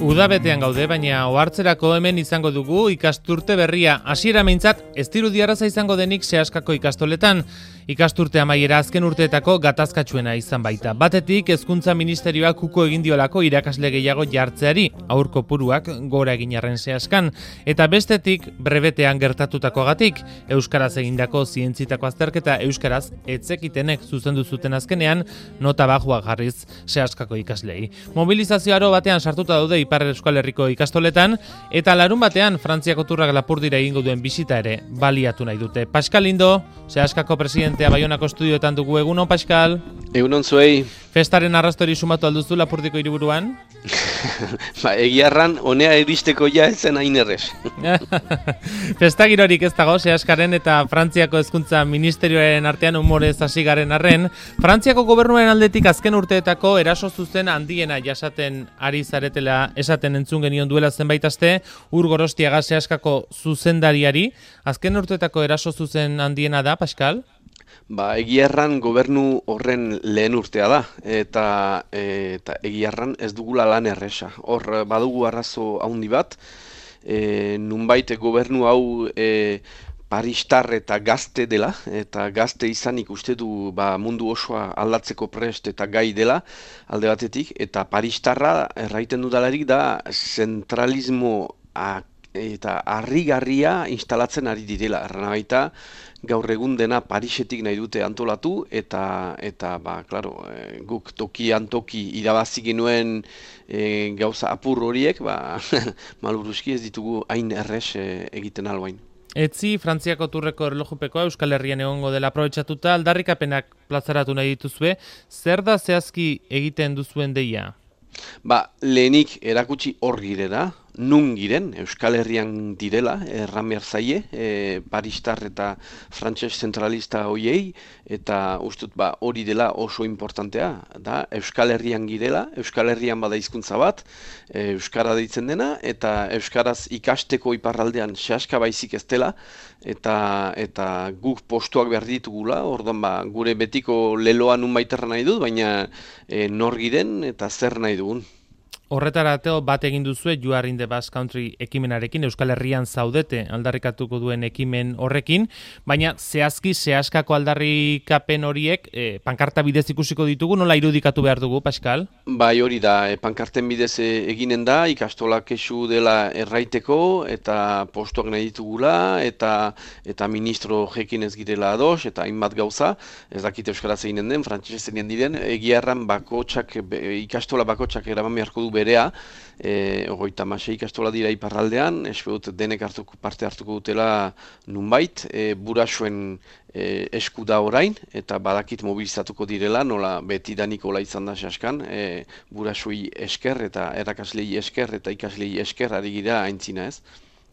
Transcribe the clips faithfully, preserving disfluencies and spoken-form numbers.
Udabetean gaude, baina ohartzerako hemen izango dugu ikasturte berria. Hasiera meintzat ez dirudi arraza izango denik Seaskako ikastoletan. Ikasturte amaiera azken urteetako gatazkatsuena izan baita. Batetik hezkuntza ministerioak uko egin diolako irakasle gehiago jartzeari, haur kopuruak gora egin arren Seaskan, eta bestetik brebetean gertatutakoagatik, euskaraz egindako zientzitako azterketa euskaraz etzekitenek zuzendu zuten azkenean nota bajua jarriz Seaskako ikaslei. Mobilizazio aro batean sartuta daude Ipar Euskal Herriko ikastoletan, eta larun batean Frantziako turrak Lapurdira egingo duen bisita ere baliatu nahi dute. Pascal Lindo, Seaskako presidentea Baionako estudioetan dugu. Egunon, Pascal? Egunon zuei. Festaren arrastori sumatu alduzu Lapurdiko hiriburuan? Ba, egiarran, honea edisteko ja ezen hain errez. Festagirorik ez dago, Seaskaren eta Frantziako hezkuntza ministerioaren artean humorez hasi garen arren, Frantziako gobernuaren aldetik azken urteetako eraso zuzen handiena jasaten ari zaretela esaten entzun genion duela zenbait aste, Ur Gorostiaga Seaskako zuzendariari. Azken urteetako eraso zuzen handiena da, Pascal? Ba, egiarran gobernu horren lehen urtea da, eta, eta egiarran ez dugula lan erresa. Hor, badugu arrazo handi bat, e, nunbait gobernu hau e, paristar eta gazte dela, eta gazte izanik uste du ba, mundu osoa aldatzeko prest eta gai dela, alde batetik, eta paristarra erraiten dudalarik da zentralismo eta harrigarria instalatzen ari direla. Erran baita, gaur egun dena Parisetik nahi dute antolatu, eta, eta ba, klaro, e, guk tokian toki irabazi genuen e, gauza apur horiek, ba, malburuski ez ditugu hain errez e, egiten albain. Etzi, Frantziako turreko erlojupekoa Euskal Herrian egongo dela aprobetxatuta, aldarrikapenak plazaratu nahi dituzue, zer da zehazki egiten duzuen deia? Ba, lehenik erakutsi hor girela, nun giren, Euskal Herrian direla, erran behar zaie, e, paristar eta frantses zentralista hoiei, eta ustut ba, hori dela oso importantea, da Euskal Herrian girela, Euskal Herrian bada hizkuntza bat, e, Euskara deitzen dena, eta Euskaraz ikasteko iparraldean Seaska baizik ez dela, eta, eta guk postuak behar ditugula, orduan ba, gure betiko leloa nun baiterra nahi dut, baina e, nor giren eta zer nahi dugun. Horretarateo bat egin duzue You Are in the Basque Country ekimenarekin, Euskal Herrian zaudete aldarrikatuko duen ekimen horrekin, baina zehazki Seaskako aldarrikapen horiek e, pankarta bidez ikusiko ditugu, nola irudikatu behar dugu, Pascal? Bai, hori da, e, pankarten bidez e, eginen da, ikastolak kesu dela erraiteko, eta postuak nahi ditugula, eta eta ministro jekin ez girela ados, eta hainbat gauza, ez dakit euskaraz eginen den, frantsesez eginen diren, egiarran bakotsak, ikastola bakotsak eraman beharko du berea, e, ogoita masei ikastola dira iparraldean, espedut denek hartuko, parte hartuko dutela nunbait, e, burasuen e, esku da orain, eta badakit mobilizatuko direla, nola betidanik hola izan da Seaskan, e, burasui esker eta erakaslei esker eta ikaslei esker ari gira aintzina ez.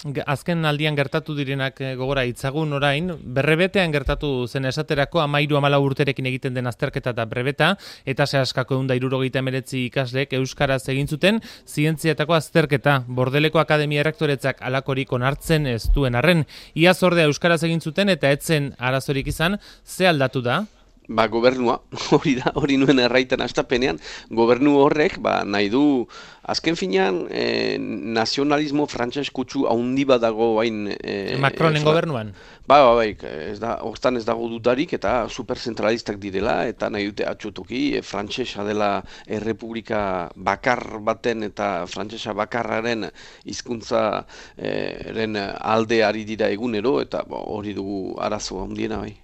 Azken aldian gertatu direnak gogora itzagun orain, berrebetean gertatu zen esaterako amairu amalau urterekin egiten den azterketa eta brebeta, eta Seaskako ehun eta hirurogeita hemeretzi ikasleek euskaraz egin zuten zientziatako azterketa. Bordeleko Akademia Errektoretzak alakorik onartzen ez duen arren, iaz ordea euskaraz egin zuten eta etzen arazorik izan, ze aldatu da? Ba, gobernua, hori da, hori nuen erraiten astapenean, gobernu horrek, ba, nahi du, azken finean, e, nazionalismo frantses kutsu haundi bat dago bain... E, Macronen e, gobernuan? Ba, ba, bai, ez da, hortan ez dago dudarik eta superzentralistak direla, eta nahi dute atxotoki, e, frantsesa dela errepublika bakar baten eta frantsesa bakarraren hizkuntza eren alde ari dira egunero, eta bo, hori dugu arazo handiena bai.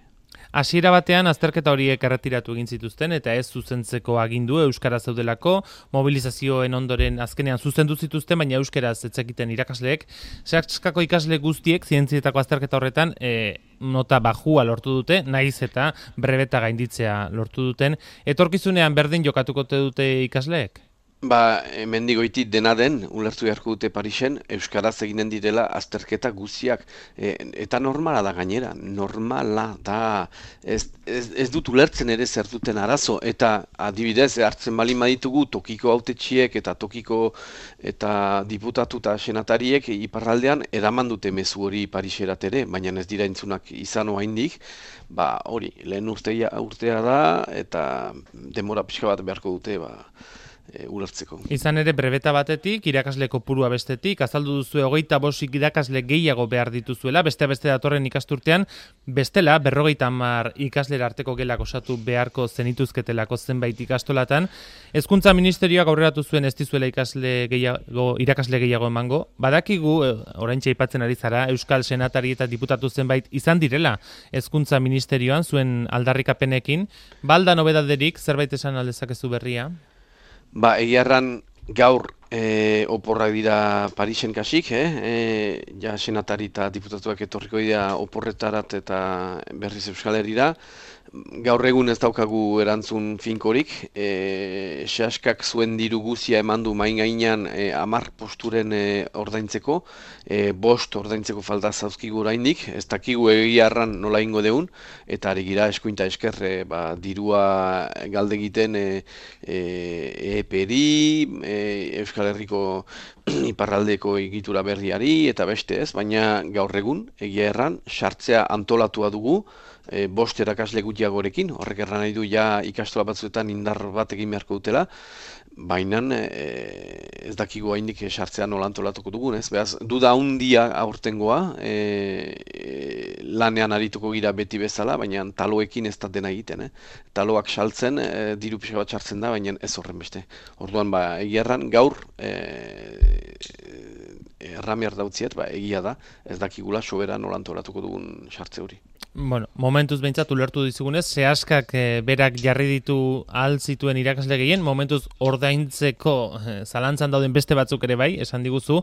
Hasiera batean azterketa horiek erretiratu egin zituzten eta ez zuzentzeko agindu euskara zeudelako, mobilizazioen ondoren azkenean zuzendu zituzten, baina euskaraz ez zekiten irakasleek. Seaskako ikasle guztiek zientzietako azterketa horretan e, nota bajua lortu dute, naiz eta brebeta gainditzea lortu duten. Etorkizunean berdin jokatuko dute ikasleek? Ba, mendigoitit dena den, ulertu beharko dute Parisen, euskaraz eginen direla azterketa guztiak, e, eta normala da gainera, normala da, ez, ez, ez dut ulertzen ere zer duten arazo, eta adibidez, hartzen bali maditugu tokiko hautetxiek eta tokiko eta diputatu eta senatariek iparraldean eraman dute mezu hori Pariserat ere, baina ez dira entzunak izan oraindik, ba hori, lehen urtea, urtea da, eta denbora pixka bat beharko dute, ba, e, ulertzeko. Izan ere, brebeta batetik, irakasle kopurua bestetik, azaldu duzu hogeita bost irakasle gehiago behar dituzuela, beste beste datorren ikasturtean, bestela, berrogeita hamar ikaslera arteko gelak osatu beharko zenituzketelako zenbait ikastolatan. Hezkuntza Ministerioak aurreratu zuen ez dizuela ikasle gehiago, irakasle gehiago emango. Badakigu, oraintxe aipatzen ari zara, Euskal Senatari eta diputatu zenbait izan direla Hezkuntza Ministerioan zuen aldarrikapenekin. Balda nobedaderik, zerbait esan aldezakezu berria? Ba, egiarran gaur e, oporrak dira Parisen kasik, eh? e, ja senatari eta diputatuak etorriko dira oporretarat eta berriz Euskal Herrira. Gaur egun ez daukagu erantzun finkorik, e, sehaskak zuen diru guzia eman du main gainean e, amar posturen e, ordaintzeko, e, bost ordaintzeko falta zauzkigu oraindik, ez dakigu egiarran nola ingo deun, eta ari gira eskuinta esker e, ba, dirua galde egiten e, e, EPERI, e, Euskal Herriko iparraldeko egitura berriari eta beste ez, baina gaur egun egia erran sartzea antolatua dugu, E, bost erakasle gutxiagorekin, horrek erran nahi du ja ikastola batzuetan indar bat egin beharko dutela, baina e, ez dakigu haindik sartzea nola antolatuko dugun, ez? Beraz, duda handia aurtengoa, e, e, lanean arituko gira beti bezala, baina taloekin ez da dena egiten, eh? Taloak saltzen, e, diru pixka bat sartzen da, baina ez horren beste. Orduan, ba, egia erran, gaur, e, erramiar dautziet, ba, egia da, ez dakigula sobera nola antolatuko dugun sartze hori. Bueno, momentuz behintzat ulertu dizugunez, sehaskak e, berak jarri ditu ahal zituen irakasle gehien, momentuz ordaintzeko e, zalantzan dauden beste batzuk ere bai, esan diguzu,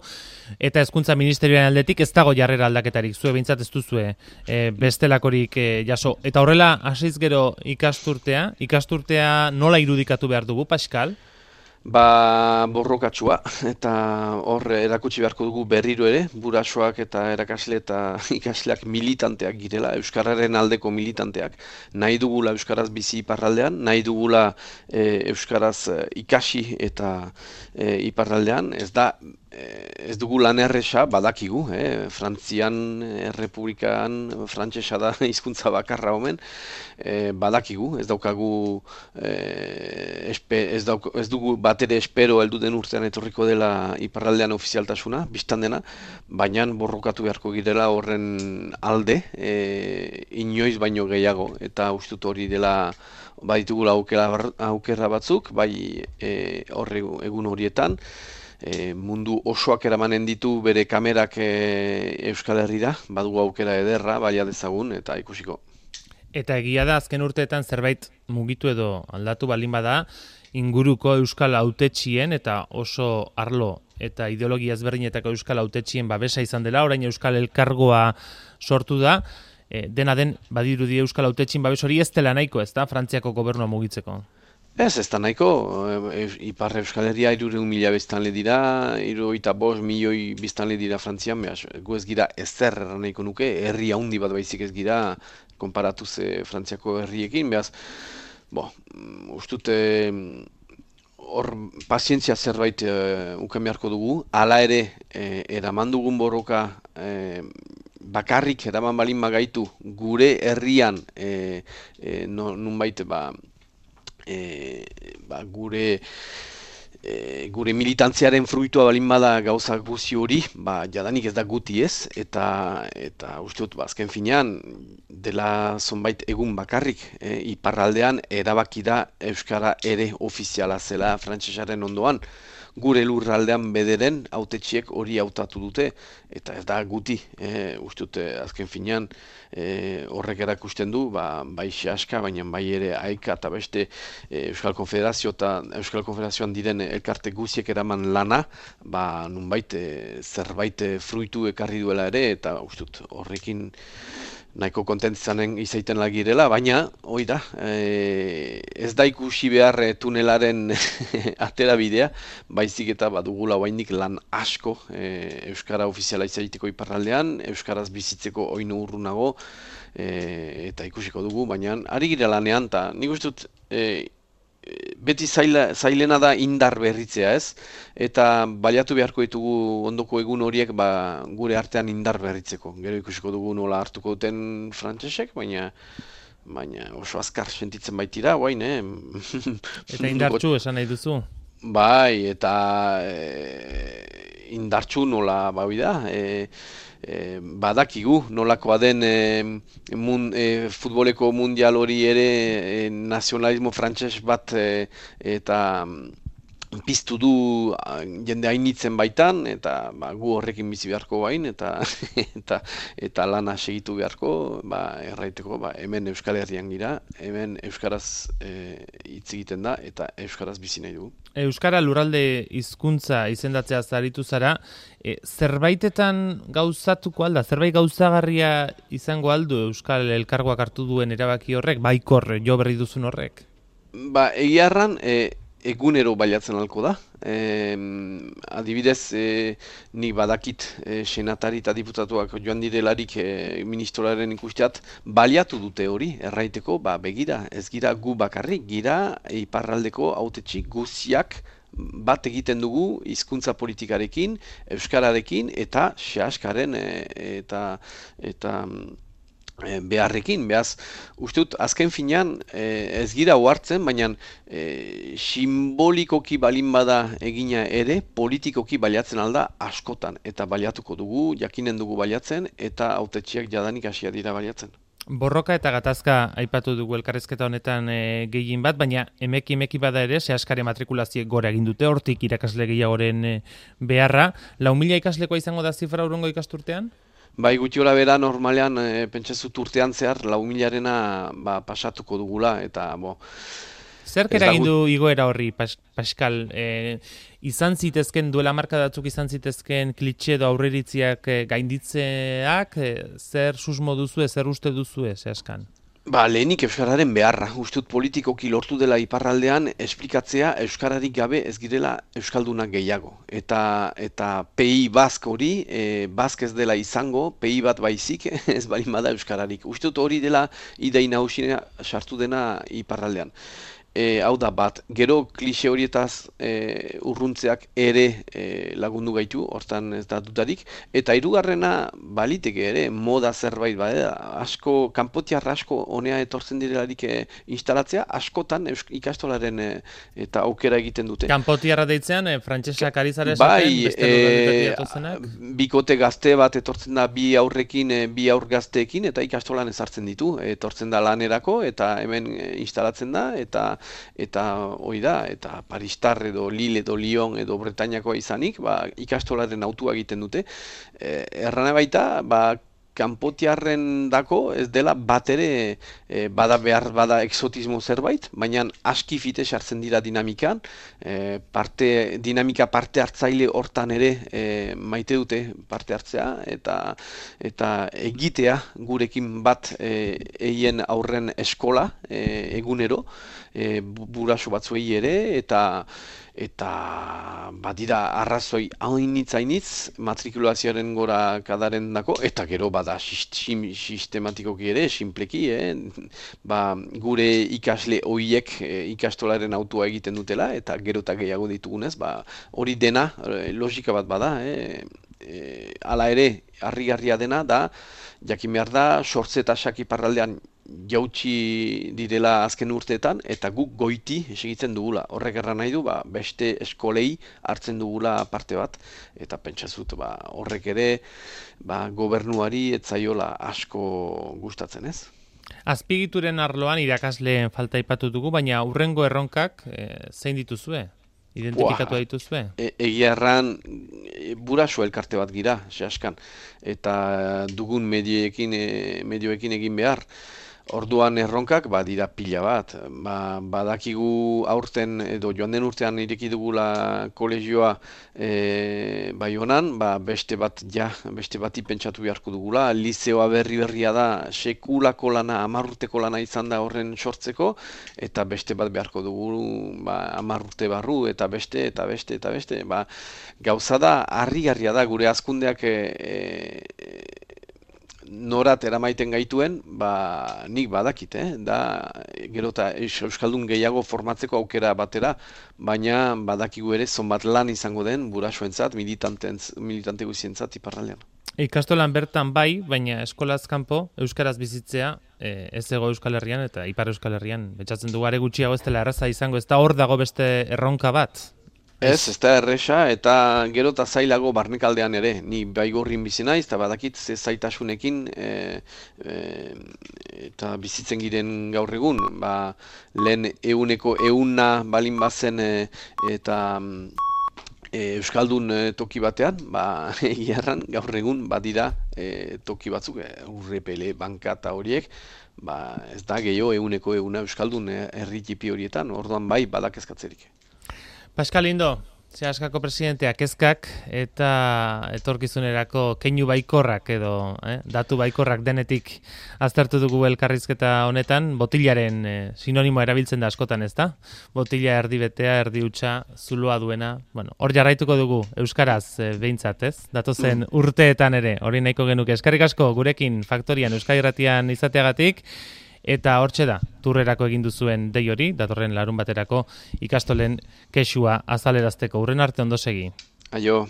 eta Hezkuntza Ministerioaren aldetik ez dago jarrera aldaketarik, zue behintzat ez duzue e, bestelakorik e, jaso. Eta horrela, hasiz gero ikasturtea, ikasturtea nola irudikatu behar dugu, Pascal? Ba, borrokatsua, eta hor erakutsi beharko dugu berriro ere, burasoak eta erakasle eta ikasleak militanteak girela, Euskararen aldeko militanteak. Nahi dugula Euskaraz bizi iparraldean, nahi dugula e, Euskaraz ikasi eta e, iparraldean, ez da, ez dugu lan erresa, badakigu, eh? Frantzian, Errepublikan, frantsesa da hizkuntza bakarra omen, eh, badakigu, ez daukagu, eh, espe, ez, dauk, ez dugu bat ere espero heldu den urtean etorriko dela iparraldean ofizialtasuna, biztan dena, baina borrokatu beharko girela horren alde, eh, inoiz baino gehiago, eta ustut hori dela baditugula aukera, aukera batzuk, bai eh, horre, egun horietan, E, mundu osoak eramanen ditu bere kamerak e, Euskal Herrira, badugu aukera ederra, baina dezagun, eta ikusiko. Eta egia da, azken urteetan zerbait mugitu edo aldatu balin bada, inguruko Euskal hautetxien eta oso arlo eta ideologia ezberdinetako Euskal hautetxien babesa izan dela, orain Euskal Elkargoa sortu da, e, dena den badirudi Euskal hautetxien babes hori ez dela nahiko, ez da, Frantziako gobernua mugitzeko. Ez, ez da nahiko, Ipar Euskal Herria hirureun mila biztanle dira, hirurogeita bost milioi biztanle dira Frantzian, behaz, gu ez gira ezer erran nahiko nuke, herri handi bat baizik ez gira, konparatuz Frantziako herriekin, behaz, bo, ustute, hor pazientzia zerbait uh, uken beharko dugu, hala ere, eh, eraman dugun borroka, eh, bakarrik eraman balin magaitu, gure herrian, eh, eh, no, nunbait, ba, E, ba, gure e, gure militantziaren fruitua balin bada gauza guzi hori, ba, jadanik ez da guti ez, eta eta uste dut, ba, azken finean, dela zonbait egun bakarrik, e, iparraldean erabaki da Euskara ere ofiziala zela frantsesaren ondoan, gure lurraldean bederen hautetxiek hori hautatu dute, eta ez da guti, e, uste dute azken finean e, horrek erakusten du, ba, bai sehaska, baina bai ere aika eta beste e, Euskal Konfederazio eta Euskal Konfederazioan diren elkarte guziek eraman lana, ba, nunbait e, zerbait fruitu ekarri duela ere, eta uste dut horrekin nahiko kontentzanen izaiten lagirela, baina, hoi da, e, ez da ikusi behar e, tunelaren atera bidea, baizik eta badugula oainik lan asko e, Euskara ofiziala izaiteko iparraldean, Euskaraz bizitzeko oinu urrunago, e, eta ikusiko dugu, baina ari gira lanean, eta nik uste dut, e, beti zaila, zailena da indar berritzea ez, eta baliatu beharko ditugu ondoko egun horiek ba, gure artean indar berritzeko. Gero ikusiko dugu nola hartuko duten frantsesek, baina baina oso azkar sentitzen baitira, guain, eh? Eta indartxu esan nahi duzu? Bai, eta e, indartsu nola baui da, e, e, badakigu nolakoa den e, mun, e, futboleko mundial hori ere e, nazionalismo frantses bat e, eta piztu du a, jende hainitzen baitan, eta ba, gu horrekin bizi beharko bain, eta eta eta lana segitu beharko, ba, erraiteko, ba, hemen Euskal Herrian gira, hemen Euskaraz e, hitz egiten da, eta Euskaraz bizi nahi dugu. Euskara lurralde hizkuntza izendatzea zaritu zara, e, zerbaitetan gauzatuko alda, zerbait gauzagarria izango aldu Euskal Elkargoak hartu duen erabaki horrek, baikor jo berri duzun horrek? Ba, egia erran, e, egunero baliatzen halko da. E, adibidez, e, nik badakit e, senatari eta diputatuak joan direlarik e, ministroaren ikusteat baliatu dute hori, erraiteko, ba, begira, ez gira gu bakarrik, gira iparraldeko hautetsi guziak bat egiten dugu hizkuntza politikarekin, euskararekin eta sehaskaren e, eta eta beharrekin, behaz, uste dut, azken finean ez gira ohartzen, baina e, simbolikoki balin bada egina ere, politikoki baliatzen alda askotan, eta baliatuko dugu, jakinen dugu baliatzen, eta hautetsiak jadanik hasia dira baliatzen. Borroka eta gatazka aipatu dugu elkarrizketa honetan e, gehien bat, baina emeki emeki bada ere, sehaskare matrikulazioek gora egin dute, hortik irakasle gehiagoren e, beharra. Lau mila ikaslekoa izango da zifra hurrengo ikasturtean? Bai, gutxi gora bera normalean e, pentsazut urtean zehar lau milarena ba, pasatuko dugula, eta bo... Zer eragin du igoera horri, pas, Pascal? E, izan zitezken, duela marka datzuk izan zitezken klitxe edo aurreritziak e, gainditzeak, e, zer susmo duzue, zer uste duzue, zehazkan? Ba, lehenik euskararen beharra. Ustut politikoki lortu dela iparraldean esplikatzea euskararik gabe ez girela euskaldunak gehiago. Eta eta P I Bask hori, e, Bask ez dela izango, P I bat baizik ez bali bada euskararik. Ustut hori dela idei nagusina sartu dena iparraldean. E, hau da bat, gero klixe horietaz e, urruntzeak ere e, lagundu gaitu, hortan ez da dutarik, eta hirugarrena baliteke ere, moda zerbait bada, asko, kanpotiar asko honea etortzen direlarik e, instalatzea, askotan eusk, ikastolaren e, eta aukera egiten dute. Kanpotiarra deitzean, e, frantsesak ari zara esaten, bai, beste lurraldeetatik datozenak? Bikote gazte bat etortzen da bi aurrekin, e, bi aur gazteekin, eta ikastolan ezartzen ditu, etortzen da lanerako, eta hemen e, instalatzen da, eta eta hori da, eta Paristar edo Lille edo Lyon edo Bretañakoa izanik, ba, ikastolaren autua egiten dute. E, errana baita, ba, kanpotiarren dako ez dela bat ere e, bada behar bada exotismo zerbait, baina aski fite sartzen dira dinamikan, e, parte, dinamika parte hartzaile hortan ere e, maite dute parte hartzea, eta eta egitea gurekin bat e, eien aurren eskola e, egunero, e, buraso batzuei ere, eta eta badira arrazoi hainitz hainitz matrikulazioaren gora kadaren dako, eta gero bada sistematikoki ere, sinpleki, eh? Ba, gure ikasle hoiek eh, ikastolaren autua egiten dutela, eta gero eta gehiago ditugunez, ba, hori dena, logika bat bada, eh? E, hala ere, harrigarria dena da, jakin behar da, sortze eta iparraldean jautsi direla azken urteetan, eta guk goiti segitzen dugula. Horrek erran nahi du, ba, beste eskolei hartzen dugula parte bat, eta pentsazut ba, horrek ere ba, gobernuari etzaiola asko gustatzen, ez? Azpigituren arloan irakasleen falta aipatu dugu, baina hurrengo erronkak e, zein dituzue? Identifikatu dituzue? E, egia erran, e, buraso elkarte bat gira, sehaskan, eta dugun medioekin, e, medioekin egin behar. Orduan erronkak ba, dira pila bat. Ba, badakigu aurten edo joan den urtean ireki dugula kolegioa e, bai honan, ba, beste bat ja, beste bati pentsatu beharko dugula. Lizeoa berri berria da, sekulako lana, hamar urteko lana izan da horren sortzeko, eta beste bat beharko dugu ba, hamar urte barru, eta beste, eta beste, eta beste. Ba, gauza da, harrigarria da, gure hazkundeak e, e, norat eramaiten gaituen, ba, nik badakit, eh? Da, gero eta euskaldun gehiago formatzeko aukera batera, baina badakigu ere zonbat lan izango den burasoentzat, militante guzientzat iparraldean. Ikastolan bertan bai, baina eskolaz kanpo euskaraz bizitzea e, ez ego Euskal Herrian eta Ipar Euskal Herrian betxatzen dugu are gutxiago ez dela erraza izango, ez da hor dago beste erronka bat? Ez, ez da erresa, eta gero eta zailago barnekaldean ere. Ni Baigorrin bizi naiz, eta badakit ze zaitasunekin e, e, eta bizitzen giren gaur egun. Ba, lehen euneko euna balin bazen e, eta e, Euskaldun e, toki batean, ba, egiarran gaur egun badira e, toki batzuk, e, urrepele, banka eta horiek, ba, ez da gehiago euneko euna Euskaldun herri txipi horietan, orduan bai badak ezkatzerik. Pascal Lindo, Seaskako presidenteak kezkak eta etorkizunerako keinu baikorrak edo eh, datu baikorrak denetik aztertu dugu elkarrizketa honetan, botilaren eh, sinonimoa erabiltzen da askotan, ez da? Botila erdi betea, erdi hutsa, zuloa duena. Bueno, hor jarraituko dugu euskaraz eh, behintzat, ez? Datozen urteetan ere, hori nahiko genuke. Eskerrik asko gurekin Faktorian Euskadi Irratian izateagatik. Eta hortxe da, turrerako egin duzuen dei hori, datorren larun baterako ikastolen kexua azalerazteko. Urren arte ondo segi. Aio.